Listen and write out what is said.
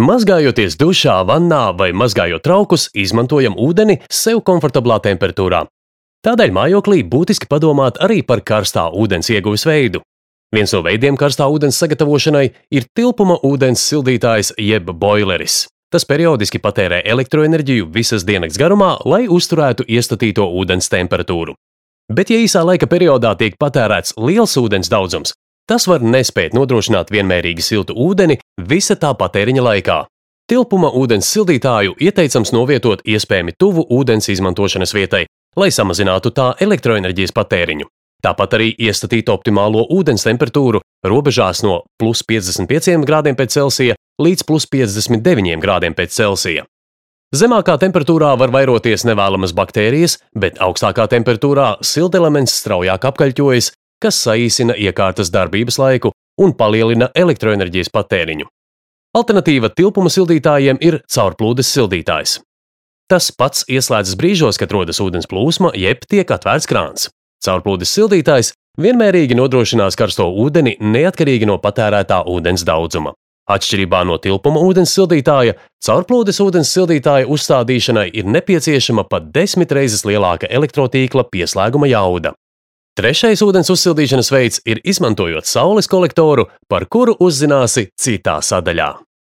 Mazgājoties dušā, vannā vai mazgājot traukus, izmantojam ūdeni sev komfortablā temperatūrā. Tādēļ mājoklī būtiski padomāt arī par karstā ūdens ieguves veidu. Viens no veidiem karstā ūdens sagatavošanai ir tilpuma ūdens sildītājs jeb boileris. Tas periodiski patērē elektroenerģiju visas diennakts garumā, lai uzturētu iestatīto ūdens temperatūru. Bet, ja īsā laika periodā tiek patērēts liels ūdens daudzums, tas var nespēt nodrošināt vienmērīgi siltu ūdeni visa tā patēriņa laikā. Tilpuma ūdens sildītāju ieteicams novietot iespējami tuvu ūdens izmantošanas vietai, lai samazinātu tā elektroenerģijas patēriņu. Tāpat arī iestatīt optimālo ūdens temperatūru robežās no +55 grādiem pēc Celsija līdz +59 grādiem pēc Celsija. Zemākā temperatūrā var vairoties nevēlamas baktērijas, bet augstākā temperatūrā siltelements straujāk apkaļķojas, kas saīsina iekārtas darbības laiku un palielina elektroenerģijas patēriņu. Alternatīva tilpuma sildītājiem ir caurplūdes sildītājs. Tas pats ieslēdzas brīžos, kad rodas ūdens plūsma, jeb tiek atvērts krāns. Caurplūdes sildītājs vienmērīgi nodrošinās karsto ūdeni neatkarīgi no patērētā ūdens daudzuma. Atšķirībā no tilpuma ūdens sildītāja, caurplūdes ūdens sildītāja uzstādīšanai ir nepieciešama pat 10 reizes lielāka elektrotīkla pieslēguma jauda. Trešais ūdens uzsildīšanas veids ir izmantojot saules kolektoru, par kuru uzzināsi citā sadaļā.